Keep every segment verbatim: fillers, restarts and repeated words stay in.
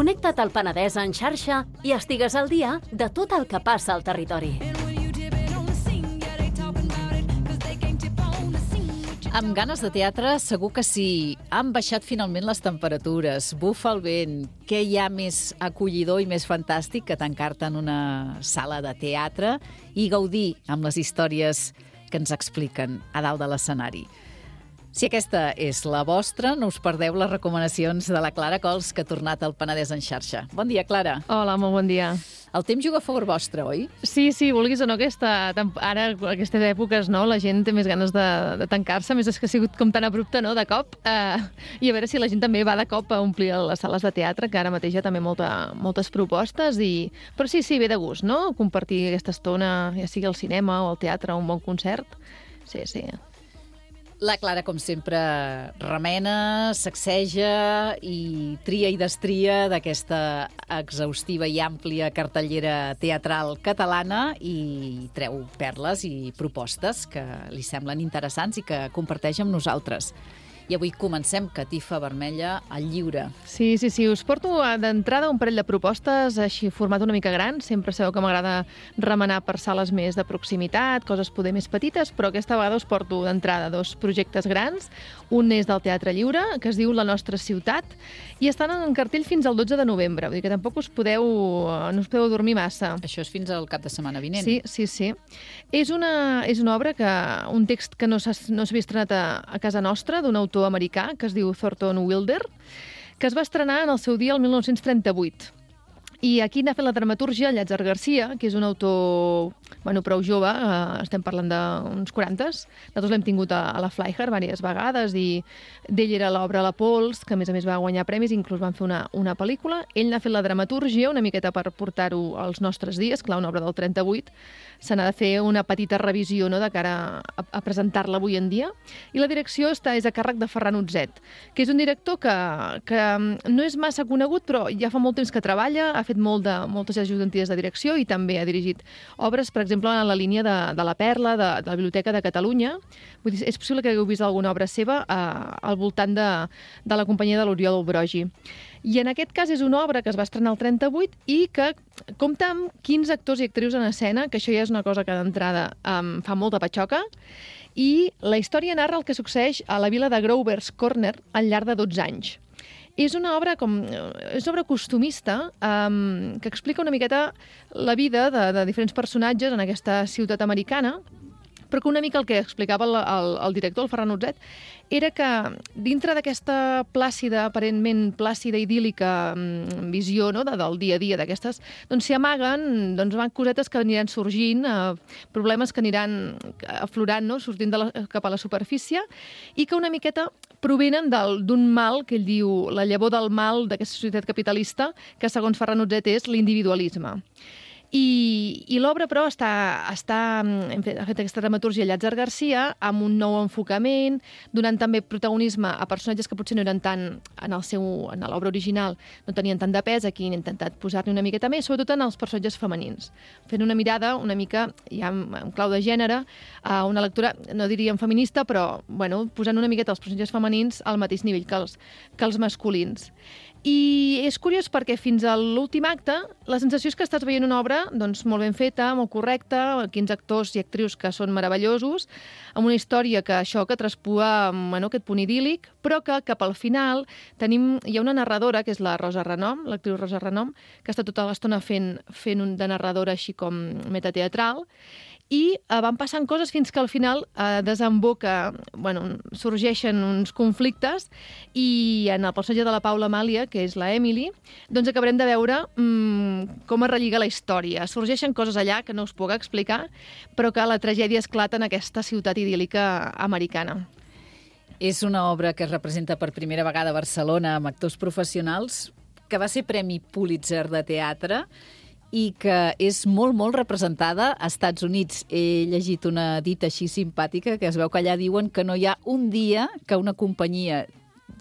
Connecta't al Penedès en xarxa i estigues al dia de tot el que passa al territori. Amb ganes de teatre, segur que sí. Han baixat finalment les temperatures, bufa el vent. Què hi ha més acollidor i més fantàstic que tancar-te en una sala de teatre i gaudir amb les històries que ens expliquen a dalt de l'escenari? Si aquesta és la vostra, no us perdeu les recomanacions de la Clara Cols, que ha tornat al Penedès en xarxa. Bon dia, Clara. Hola, molt bon dia. El temps juga a favor vostre, oi? Sí, sí, vulguis o no, aquesta, ara, aquestes èpoques, no, la gent té més ganes de, de tancar-se, més és que ha sigut com tan abrupte, no?, de cop, eh, i a veure si la gent també va de cop a omplir les sales de teatre, que ara mateix hi ha també molta, moltes propostes, i... però sí, sí, ve de gust, no?, compartir aquesta estona, ja sigui al cinema o al teatre, un bon concert. Sí, sí. La Clara, com sempre, remena, sacseja i tria i destria d'aquesta exhaustiva i àmplia cartellera teatral catalana i treu perles i propostes que li semblen interessants i que comparteix amb nosaltres. I avui comencem Catifa Vermella al lliure. Sí, sí, sí. Us porto d'entrada un parell de propostes, així format una mica gran. Sempre sabeu que m'agrada remenar per sales més de proximitat, coses poder més petites, però aquesta vegada us porto d'entrada dos projectes grans. Un és del Teatre Lliure, que es diu La Nostra Ciutat, i estan en cartell fins al dotze de novembre. Vull dir que tampoc us podeu, no us podeu dormir massa. Això és fins al cap de setmana vinent. Sí, sí, sí. És una, és una obra, que un text que no s'havia no estrenat a, a casa nostra, d'un autor americà que es diu Thornton Wilder, que es va estrenar en el seu dia el mil nou-cents trenta-vuit. I aquí n'ha fet la dramaturgia Llàtzer Garcia, que és un autor, bueno, prou jove, eh, estem parlant d'uns quarantes. Nosaltres l'hem tingut a, a la Flyher diverses vegades i d'ell era l'obra La Pols, que a més a més va guanyar premis, inclús van fer una, una pel·lícula. Ell n'ha fet la dramaturgia una miqueta per portar-ho als nostres dies, clar, una obra del trenta-vuit, se n'ha de fer una petita revisió, no?, de cara a, a presentar-la avui en dia. I la direcció està, és a càrrec de Ferran Utzet, que és un director que, que no és massa conegut, però ja fa molt temps que treballa, ha fet molt de, moltes ajudanties de direcció i també ha dirigit obres, per exemple, en la línia de, de la Perla, de, de la Biblioteca de Catalunya. Vull dir, és possible que hagueu vist alguna obra seva eh, al voltant de, de la companyia de l'Oriol Brogi. I en aquest cas és una obra que es va estrenar el trenta-vuit i que compta amb quinze actors i actrius en escena, que això ja és una cosa que d'entrada um, fa molta patxoca, i la història narra el que succeeix a la vila de Grover's Corner al llarg de dotze anys. És una obra com és una obra costumista um, que explica una miqueta la vida de, de diferents personatges en aquesta ciutat americana, però que una mica el que explicava el, el, el director, el Ferran Utzet, era que dintre d'aquesta plàcida, aparentment plàcida, idíl·lica mm, visió, no?, de, del dia a dia d'aquestes, doncs s'hi amaguen doncs, van cosetes que aniran sorgint, eh, problemes que aniran aflorant, no?, sortint de la, cap a la superfície, i que una miqueta provenen d'un mal, que ell diu, la llavor del mal d'aquesta societat capitalista, que segons Ferran Utzet és l'individualisme. I, i l'obra, però, està, està, hem fet, ha fet aquesta dramaturgia Llàtzer Garcia amb un nou enfocament, donant també protagonisme a personatges que potser no eren tant en el seu, en l'obra original, no tenien tant de pes. Aquí han intentat posar-ne una miqueta més, sobretot en els personatges femenins, fent una mirada una mica, ja en, en clau de gènere, a una lectura, no diríem feminista, però bueno, posant una miqueta els personatges femenins al mateix nivell que els, que els masculins. I és curiós perquè fins a l'últim acte la sensació és que estàs veient una obra doncs, molt ben feta, molt correcta, quinze actors i actrius que són meravellosos, amb una història que això que traspua bueno, aquest punt idíl·lic, però que cap al final tenim, hi ha una narradora, que és la Rosa Renom, l'actriu Rosa Renom, que està tota l'estona fent, fent un de narradora així com metateatral, i eh, van passant coses fins que al final eh, desemboca, bueno, sorgeixen uns conflictes i en el personatge de la Paula Amàlia, que és la Emily, doncs acabarem de veure mm, com es relliga la història. Sorgeixen coses allà que no us puc explicar, però que la tragèdia esclata en aquesta ciutat idíl·lica americana. És una obra que es representa per primera vegada a Barcelona amb actors professionals, que va ser Premi Pulitzer de teatre i que és molt, molt representada als Estats Units. He llegit una dita així simpàtica que es veu que allà diuen que no hi ha un dia que una companyia,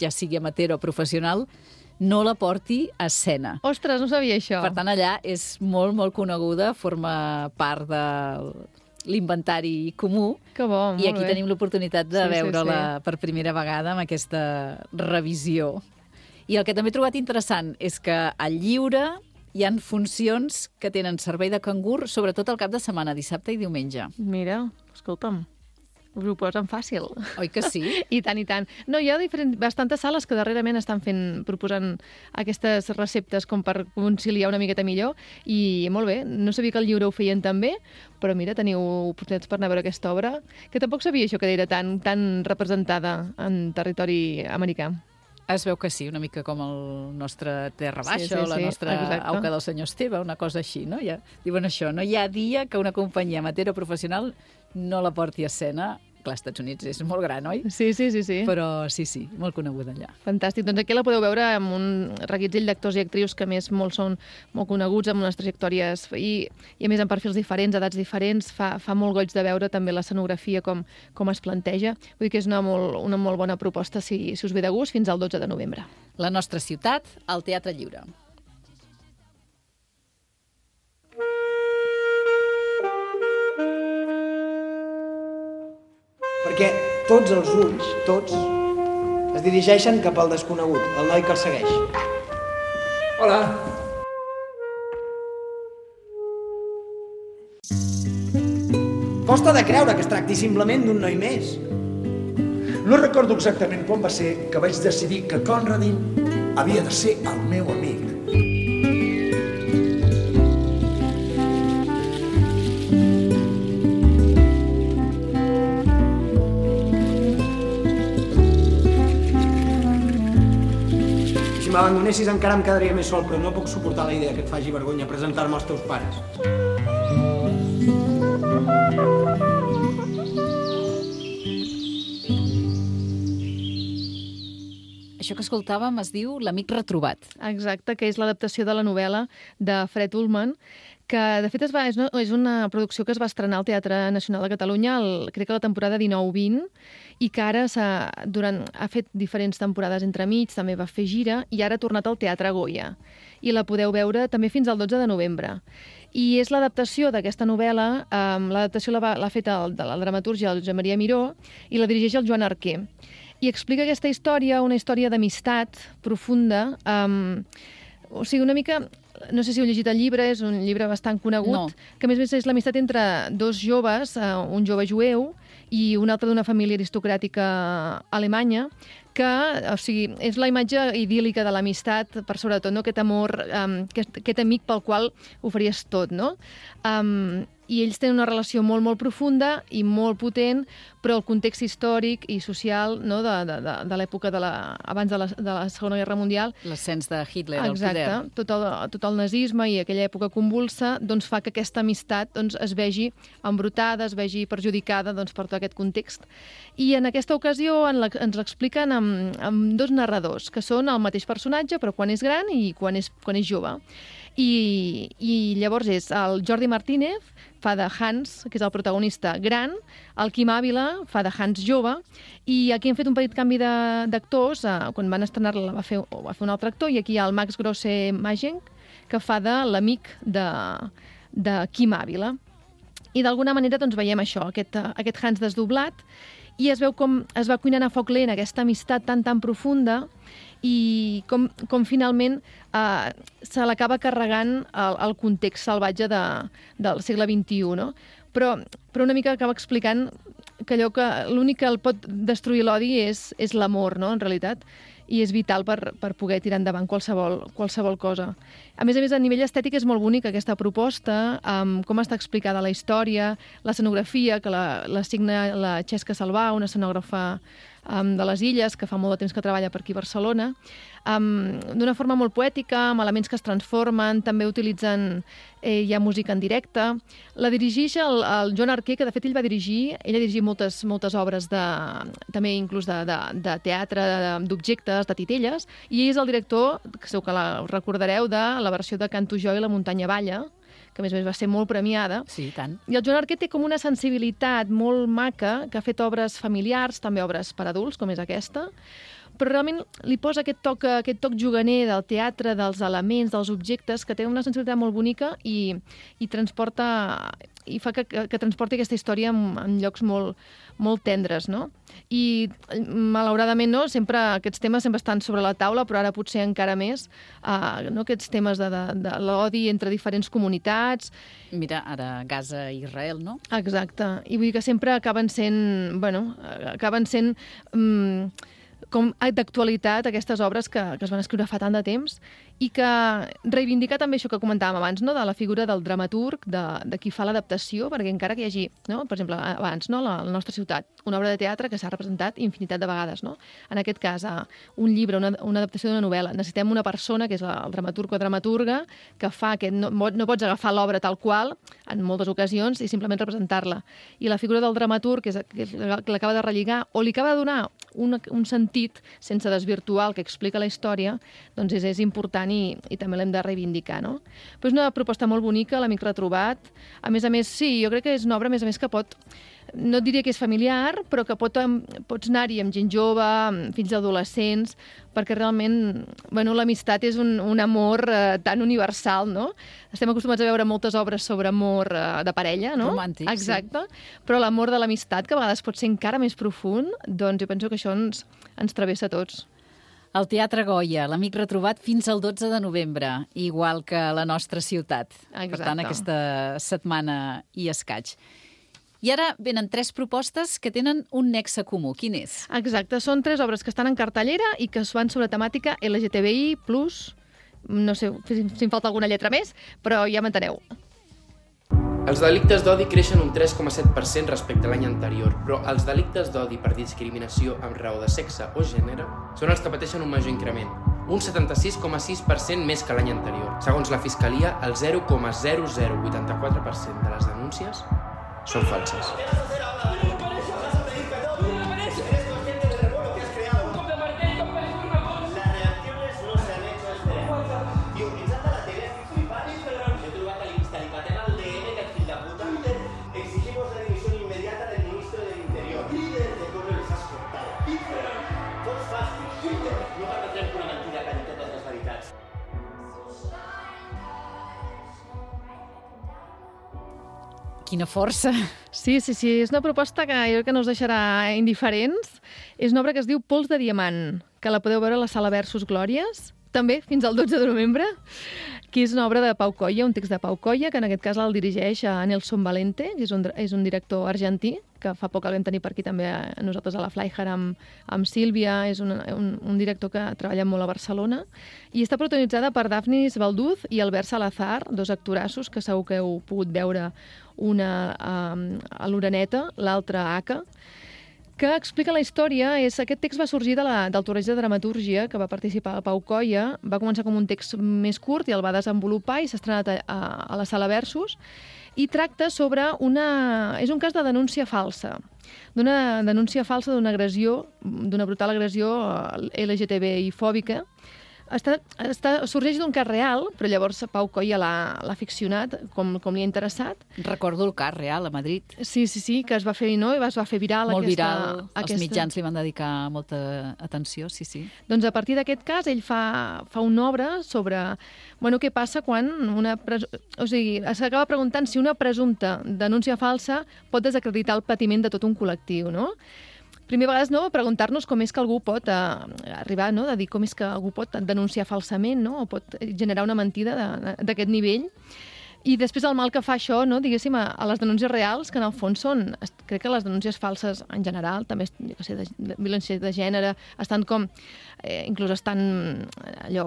ja sigui amateur o professional, no la porti a escena. Ostres, no sabia això. Per tant, allà és molt, molt coneguda, forma part de l'inventari comú. Que bo, molt I aquí bé. tenim l'oportunitat de sí, veure-la sí, sí. per primera vegada amb aquesta revisió. I el que també he trobat interessant és que al Lliure hi han funcions que tenen servei de cangur, sobretot el cap de setmana, dissabte i diumenge. Mira, escolta'm, us ho posen fàcil. Oi que sí? I tant, i tant. No, hi ha diferents, bastantes sales que darrerament estan fent, proposant aquestes receptes com per conciliar una miqueta millor, i molt bé, no sabia que al Lliure ho feien també, però mira, teniu oportunitats per anar a veure aquesta obra, que tampoc sabia això que era tan, tan representada en territori americà. Es veu que sí, una mica com el nostre Terra Baixa, Sí, sí, o la sí, nostra exacte. Auca del senyor Esteve, una cosa així, no? Ja, diuen això, no hi ha dia que una companyia amateur o professional no la porti a escena. Clar, als Estats Units és molt gran, oi? Sí, sí, sí, sí. Però sí, sí, molt coneguda allà. Fantàstic. Doncs aquí la podeu veure amb un reguitzell d'actors i actrius que a més molts són molt coneguts, amb unes trajectòries i, i a més amb perfils diferents, edats diferents. Fa, fa molt goig de veure també l'escenografia com, com es planteja. Vull dir que és una molt, una molt bona proposta si, si us ve de gust fins al dotze de novembre. La nostra ciutat, al Teatre Lliure. Perquè tots els ulls, tots, es dirigeixen cap al desconegut, el noi que el segueix. Hola. Costa de creure que es tracti simplement d'un noi més. No recordo exactament quan va ser que vaig decidir que Conradin havia de ser el meu amic. Si m'abandonessis encara em quedaria més sol, però no puc suportar la idea que et faci vergonya presentar-me als teus pares. Això que escoltàvem es diu L'amic retrobat. Exacte, que és l'adaptació de la novel·la de Fred Ullman, que de fet es va, és, una, és una producció que es va estrenar al Teatre Nacional de Catalunya, el, crec que la temporada dinou vint, i que ara durant, ha fet diferents temporades entremig, també va fer gira, i ara ha tornat al Teatre Goya. I la podeu veure també fins al dotze de novembre. I és l'adaptació d'aquesta novel·la, um, l'adaptació l'ha fet el, de la dramatúrgia el Josep Maria Miró i la dirigeix el Joan Arquer. I explica aquesta història, una història d'amistat profunda, um, o sigui, una mica... No sé si heu llegit el llibre, és un llibre bastant conegut, No. que a més a més és l'amistat entre dos joves, uh, un jove jueu i un altre d'una família aristocràtica alemanya, que, o sigui, és la imatge idíl·lica de l'amistat, per sobretot, no? Aquest amor, um, aquest, aquest amic pel qual ho faries tot, no? Um, I ells tenen una relació molt, molt profunda i molt potent, però el context històric i social, no? de, de, de, de l'època de la, abans de la, de la Segona Guerra Mundial, L'ascens de Hitler al exacte, poder. tot el, tot el nazisme i aquella època convulsa doncs, fa que aquesta amistat doncs, es vegi embrutada, es vegi perjudicada doncs, per tot aquest context. I en aquesta ocasió en la, ens l'expliquen amb, amb dos narradors, que són el mateix personatge, però quan és gran i quan és, quan és jove. I, I llavors és el Jordi Martínez, fa de Hans, que és el protagonista gran, el Quim Ávila fa de Hans jove, i aquí hem fet un petit canvi d'actors, eh, quan van estrenar-la va, fer, va fer un altre actor, i aquí hi ha el Max Grosse Magenk, que fa de l'amic de, de Quim Ávila. I d'alguna manera doncs, veiem això, aquest, aquest Hans desdoblat, i es veu com es va cuinant a foc lent aquesta amistat tan, tan profunda, i com, com finalment eh, se l'acaba carregant el, el context salvatge de, del segle vint-i-u, no? Però, però una mica acaba explicant que allò que l'únic que el pot destruir l'odi és, és l'amor, no?, en realitat, i és vital per, per poder tirar endavant qualsevol, qualsevol cosa. A més a més, a nivell estètic és molt bonica aquesta proposta, amb com està explicada la història, l'escenografia, que la, la signa la Xesca Salvà, una escenògrafa um, de les Illes, que fa molt de temps que treballa per aquí a Barcelona, um, d'una forma molt poètica, amb elements que es transformen, també utilitzen eh, ja música en directe. La dirigeix el, el Joan Arquer, que de fet ell va dirigir, ell ha dirigit moltes, moltes obres de, també inclús de, de, de teatre, d'objectes, de titelles, i ell és el director, que segur que la recordareu, de la versió de Canto jo i la muntanya balla, que a més a més va ser molt premiada. Sí, i tant. I el Joan Arquer té com una sensibilitat molt maca, que ha fet obres familiars, també obres per adults, com és aquesta, però realment li posa aquest toc, aquest toc juganer del teatre, dels elements, dels objectes, que té una sensibilitat molt bonica i, i transporta i fa que, que, que transporti aquesta història en, en llocs molt, molt tendres, no? I, malauradament, no? Sempre aquests temes sempre estan sobre la taula, però ara potser encara més, uh, no? Aquests temes de, de, de l'odi entre diferents comunitats. Mira, ara Gaza i Israel, no? Exacte. I vull dir que sempre acaben sent, bueno, acaben sent... Um, com d'actualitat aquestes obres que, que es van escriure fa tant de temps i que reivindica també això que comentàvem abans, no? De la figura del dramaturg, de, de qui fa l'adaptació, perquè encara que hi hagi, no? Per exemple, abans, no? la, la nostra ciutat, una obra de teatre que s'ha representat infinitat de vegades. No? En aquest cas, un llibre, una, una adaptació d'una novel·la. Necessitem una persona, que és el dramaturg o dramaturga, que fa que no, no pots agafar l'obra tal qual, en moltes ocasions, i simplement representar-la. I la figura del dramaturg, que és que l'acaba de relligar, o li acaba de donar un, un sentit sense desvirtuar el que explica la història, doncs és, és important i, i també l'hem de reivindicar, no? Però és una proposta molt bonica, l'Amic retrobat. A més a més, sí, jo crec que és una obra, a més a més, que pot... No et diria que és familiar, però que pot, pots anar-hi amb gent jove, amb fills adolescents, perquè realment, bueno, l'amistat és un, un amor eh, tan universal, no? Estem acostumats a veure moltes obres sobre amor eh, de parella, no? Romàntic, exacte. Sí. Però l'amor de l'amistat, que a vegades pot ser encara més profund, doncs jo penso que això ens, ens travessa a tots. El Teatre Goya, l'Amic retrobat fins al dotze de novembre, igual que la nostra ciutat. Exacte. Per tant, aquesta setmana i escaig. I ara venen tres propostes que tenen un nexe comú. Quin és? Exacte, són tres obres que estan en cartellera i que es van sobre temàtica L G T B I plus, no sé si, si em falta alguna lletra més, però ja m'enteneu. Els delictes d'odi creixen un tres coma set per cent respecte a l'any anterior, però els delictes d'odi per discriminació amb raó de sexe o gènere són els que pateixen un major increment, un setanta-sis coma sis per cent més que l'any anterior. Segons la Fiscalia, el zero coma zero zero vuitanta-quatre per cent de les denúncies són falses. Quina força! Sí, sí, sí, és una proposta que jo crec que no us deixarà indiferents. És una obra que es diu Pols de diamant, que la podeu veure a la Sala Versus Glòries, també fins al dotze de novembre, que és una obra de Pau Colla, un text de Pau Colla, que en aquest cas el dirigeix a Nelson Valente, que és un, és un director argentí, que fa poc el vam tenir per aquí també a nosaltres a la Flyhard amb, amb Sílvia, és un, un, un director que treballa molt a Barcelona, i està protagonitzada per Dafnis Balduz i Albert Salazar, dos actorassos que segur que heu pogut veure, una um, a l'Oreneta, l'altra a Aca, que explica la història. És, aquest text va sorgir de la, del torneig de dramatúrgia que va participar el Pau Colla, va començar com un text més curt i el va desenvolupar i s'ha estrenat a, a, a la Sala Versus, i tracta sobre una... és un cas de denúncia falsa, d'una denúncia falsa d'una agressió, d'una brutal agressió L G T B I fòbica. Està, està, sorgeix d'un cas real, però llavors Pau Colla l'ha ficcionat, com, com li ha interessat. Recordo el cas real a Madrid. Sí, sí, sí, que es va fer, no? I es va fer viral. Molt aquesta, viral, aquesta... els mitjans li van dedicar molta atenció, sí, sí. Doncs a partir d'aquest cas ell fa, fa una obra sobre bueno, què passa quan una... Presu... O sigui, s'acaba preguntant si una presumpta denúncia falsa pot desacreditar el patiment de tot un col·lectiu, no? Primer vegades, no, preguntar-nos com és que algú pot eh, arribar, no?, de dir com és que algú pot denunciar falsament, no?, o pot generar una mentida d'aquest nivell. I després el mal que fa això, no, diguéssim, a, a les denúncies reals, que en el fons són, crec que les denúncies falses en general, també, jo què sé, de, de violència de gènere, estan com, eh, inclús estan allò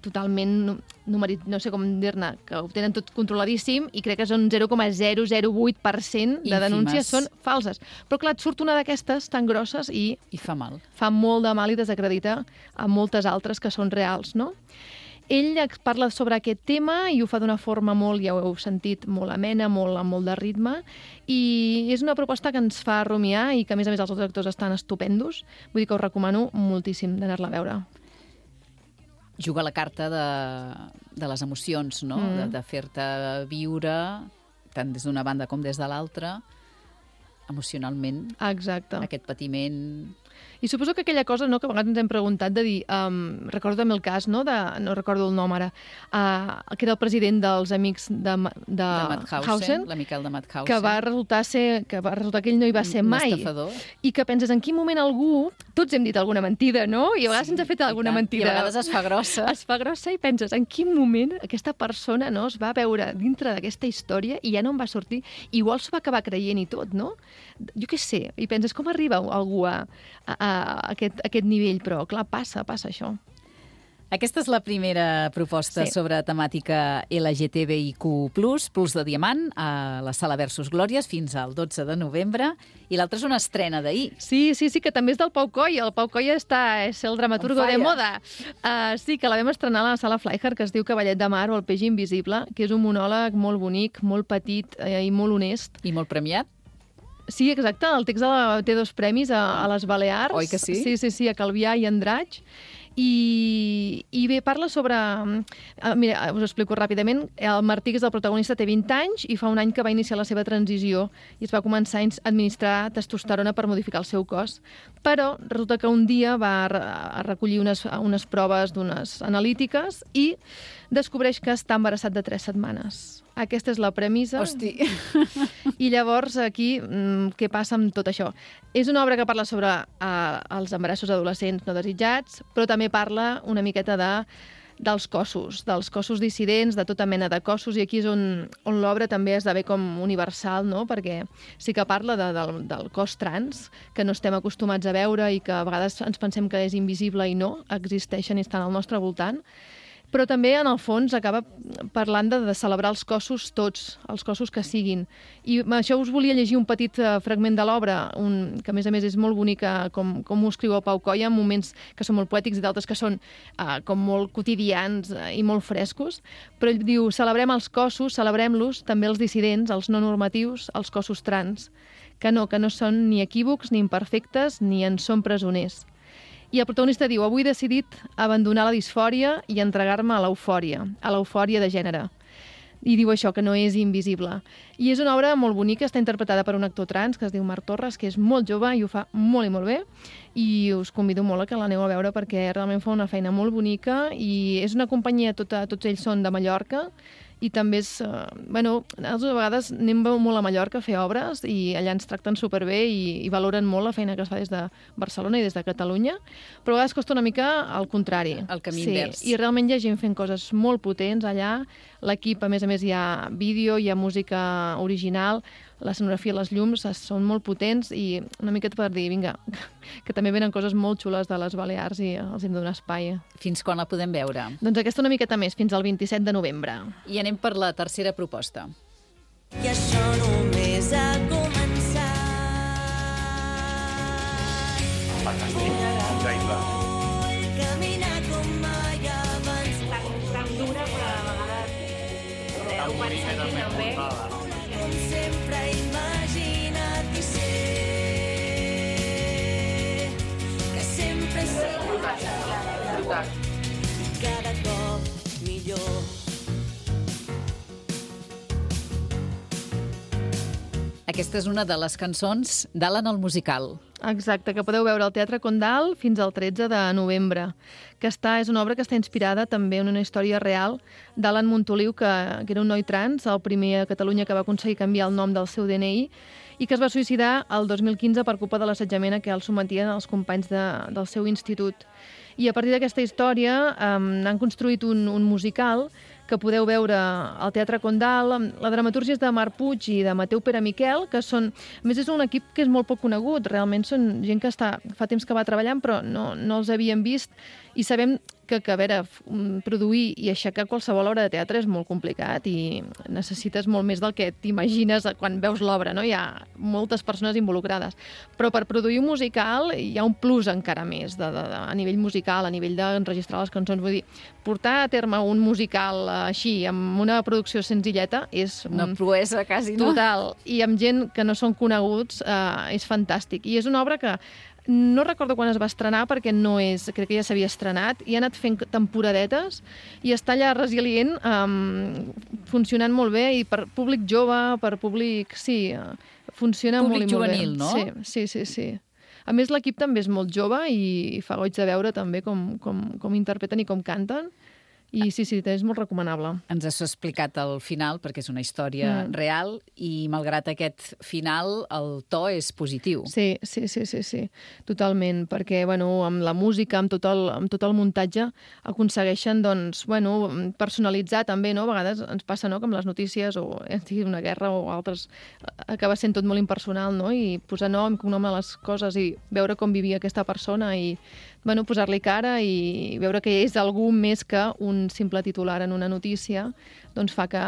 totalment numerit, no sé com dir-ne, que ho tenen tot controladíssim i crec que són zero coma zero zero vuit per cent de denúncies són falses. Però clar, et surt una d'aquestes tan grosses i... I fa mal. Fa molt de mal i desacredita a moltes altres que són reals, no? Ell parla sobre aquest tema i ho fa d'una forma molt, ja ho heu sentit, molt amena, molt, amb molt de ritme, i és una proposta que ens fa rumiar i que, a més a més, els altres actors estan estupendos. Vull dir que us recomano moltíssim d'anar-la a veure. Juga la carta de, de les emocions, no? Mm. De, de fer-te viure, tant des d'una banda com des de l'altra, emocionalment. Exacte. Aquest patiment I suposo que aquella cosa, no?, que a vegades ens hem preguntat de dir, um, recordo també el cas, no?, de, no recordo el nom ara, uh, que era el president dels amics de, de, de Mauthausen, l'amical de Mauthausen, que va resultar ser, que va resultar que ell no hi va ser mai. Un estafador. I que penses, en quin moment algú, tots hem dit alguna mentida, no? I a vegades sí, ens ha fet alguna mentida. I a vegades es fa grossa. Es fa grossa i penses, en quin moment aquesta persona, no?, es va veure dintre d'aquesta història i ja no en va sortir. Igual s'ho va acabar creient i tot, no? Jo què sé, i penses, com arriba algú a, a, a, aquest, a aquest nivell? Però, clar, passa, passa això. Aquesta és la primera proposta sí. sobre temàtica L G T B I Q plus, Plus de Diamant, a la Sala Versus Glòries, fins al dotze de novembre, i l'altra és una estrena d'ahir. Sí, sí, sí, que també és del Pau Coll. El Pau Coll està, és el dramaturgo de moda. Uh, sí, que la vam estrenar a la Sala Flyhard, que es diu Cavallet de Mar o El peix invisible, que és un monòleg molt bonic, molt petit eh, i molt honest. I molt premiat. Sí, exacte, el text de la, té dos premis a, a les Balears. Oi que sí? Sí, sí, sí, a Calvià i Andratx. I, i bé, parla sobre... Uh, mira, us ho explico ràpidament. El Martí, que és el protagonista, té vint anys i fa un any que va iniciar la seva transició i es va començar a administrar testosterona per modificar el seu cos. Però resulta que un dia va a recollir unes, unes proves d'unes analítiques i descobreix que està embarassat de tres setmanes. Aquesta és la premissa. Hosti. I llavors, aquí, què passa amb tot això? És una obra que parla sobre uh, els embarassos adolescents no desitjats, però també parla una miqueta de, dels cossos, dels cossos dissidents, de tota mena de cossos, i aquí és on, on l'obra també esdevé com universal, no? Perquè sí que parla de, del, del cos trans, que no estem acostumats a veure i que a vegades ens pensem que és invisible i no, existeixen i estan al nostre voltant. Però també, en el fons, acaba parlant de, de celebrar els cossos tots, els cossos que siguin. I això us volia llegir un petit uh, fragment de l'obra, un, que a més a més és molt bonica, com, com ho escriu el Pau Coll, en moments que són molt poètics i d'altres que són uh, com molt quotidians uh, i molt frescos. Però ell diu, celebrem els cossos, celebrem-los, també els dissidents, els no normatius, els cossos trans, que no, que no són ni equívocs, ni imperfectes, ni en són presoners. I el protagonista diu, avui he decidit abandonar la disfòria i entregar-me a l'eufòria, a l'eufòria de gènere. I diu això, que no és invisible. I és una obra molt bonica, està interpretada per un actor trans que es diu Marc Torres, que és molt jove i ho fa molt i molt bé, i us convido molt a que l'aneu a veure perquè realment fa una feina molt bonica i és una companyia, tota, tots ells són de Mallorca, i també és... Uh, bueno, nosaltres a vegades anem molt a Mallorca a fer obres i allà ens tracten superbé i, i valoren molt la feina que es fa des de Barcelona i des de Catalunya, però a vegades costa una mica al contrari. El camí sí, invers. I realment hi ha gent fent coses molt potents allà. L'equip, a més a més, hi ha vídeo, hi ha música original, l'escenografia, les llums són molt potents i una miqueta per dir, vinga, que també venen coses molt xules de les Balears i els hem de donar espai. Fins quan la podem veure? Doncs aquesta una miqueta més, fins al vint-i-set de novembre. I anem per la tercera proposta. I això només ha començat. Fantàstic, increïble. Vull caminar com mai abans. Tan dura, però a vegades ho pensem que no ve. Com sempre he imaginat i sé que sempre serà cada cop millor. Aquesta és una de les cançons d'Alan el musical. Exacte, que podeu veure al Teatre Condal fins al tretze de novembre. Que està, és una obra que està inspirada també en una història real d'Alan Montoliu, que, que era un noi trans, el primer a Catalunya que va aconseguir canviar el nom del seu D N I i que es va suïcidar el dos mil quinze per culpa de l'assetjament a què el sometien els companys de, del seu institut. I a partir d'aquesta història eh, han construït un, un musical que podeu veure al Teatre Condal. La dramatúrgia és de Marc Puig i de Mateu Pere Miquel, que són... A més, és un equip que és molt poc conegut. Realment són gent que està, fa temps que va treballant, però no, no els havíem vist. I sabem que, que, a veure, produir i aixecar qualsevol obra de teatre és molt complicat i necessites molt més del que t'imagines quan veus l'obra, no? Hi ha moltes persones involucrades. Però per produir un musical hi ha un plus encara més de, de, de, a nivell musical, a nivell d'enregistrar les cançons. Vull dir, portar a terme un musical així, amb una producció senzilleta, és... Una proesa, quasi, no? Total. I amb gent que no són coneguts, eh, és fantàstic. I és una obra que no recordo quan es va estrenar, perquè no és... Crec que ja s'havia estrenat, i ha anat fent temporadetes, i està allà resilient, um, funcionant molt bé, i per públic jove, per públic... Sí, funciona públic molt i molt juvenil, bé. No? Sí, sí, sí, sí. A més, l'equip també és molt jove i fa goig de veure també com, com, com interpreten i com canten. I sí, sí, és molt recomanable. Ens has explicat el final, perquè és una història mm. real, i malgrat aquest final, el to és positiu. Sí, sí, sí, sí, sí. Totalment, perquè, bueno, amb la música, amb tot el, amb tot el muntatge, aconsegueixen, doncs, bueno, personalitzar també, no? A vegades ens passa, no?, que amb les notícies, o sigui una guerra o altres, acaba sent tot molt impersonal, no?, i posar nom, cognom a les coses i veure com vivia aquesta persona i, bueno, posar-li cara i veure que és algú més que un simple titular en una notícia, doncs fa que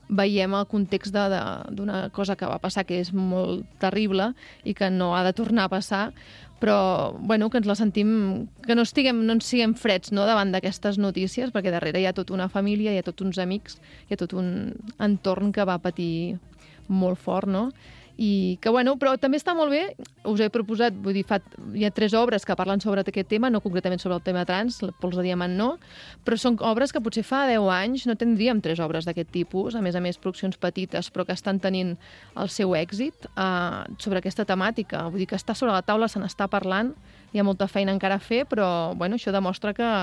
veiem el context d'una cosa que va passar que és molt terrible i que no ha de tornar a passar, però bueno, que ens la sentim, que no estiguem, no ens siguem freds, no?, davant d'aquestes notícies, perquè darrere hi ha tota una família, hi ha tots uns amics, hi ha tot un entorn que va patir molt fort, no? I que, bueno, però també està molt bé, us he proposat, vull dir, fa, hi ha tres obres que parlen sobre aquest tema, no concretament sobre el tema trans, el Pols de Diamant no, però són obres que potser fa deu anys no tindríem tres obres d'aquest tipus, a més a més produccions petites, però que estan tenint el seu èxit eh, sobre aquesta temàtica. Vull dir que està sobre la taula, se n'està parlant, hi ha molta feina encara a fer, però, bueno, això demostra que...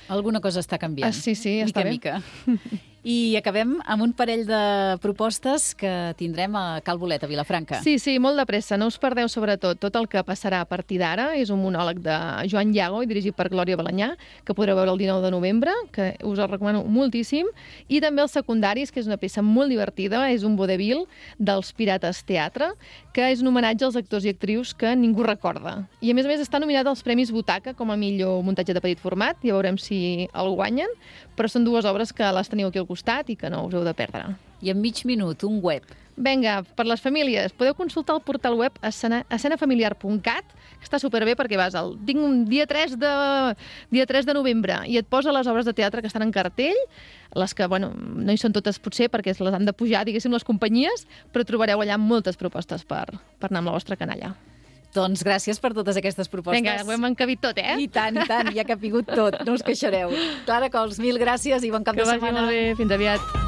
Alguna cosa està canviant. Ah, sí, sí, mica està bé. Mica. I acabem amb un parell de propostes que tindrem a Cal Bolet, a Vilafranca. Sí, sí, molt de pressa. No us perdeu, sobretot, tot el que passarà a partir d'ara. És un monòleg de Joan Llago i dirigit per Glòria Balanyà, que podreu veure el dinou de novembre, que us el recomano moltíssim. I també els secundaris, que és una peça molt divertida. És un vodevil dels Pirates Teatre, que és un homenatge als actors i actrius que ningú recorda. I, a més a més, està nominat als Premis Butaca com a millor muntatge de petit format. Ja veurem si el guanyen, però són dues obres que les teniu aquí al costat i que no us heu de perdre. I en mig minut, un web. Vinga, per les famílies, podeu consultar el portal web escena, escena familiar punt cat, que està superbé perquè vas al... Tinc un dia tres de, dia tres de novembre i et posa les obres de teatre que estan en cartell, les que, bueno, no hi són totes potser perquè les han de pujar, diguéssim, les companyies, però trobareu allà moltes propostes per, per anar amb la vostra canalla. Doncs gràcies per totes aquestes propostes. Vinga, ho hem encabit tot, eh? I tant, i tant, ja que ha pigut tot, no us queixareu. Clara Cols, mil gràcies i bon cap que de setmana. Que vagi molt bé, fins aviat.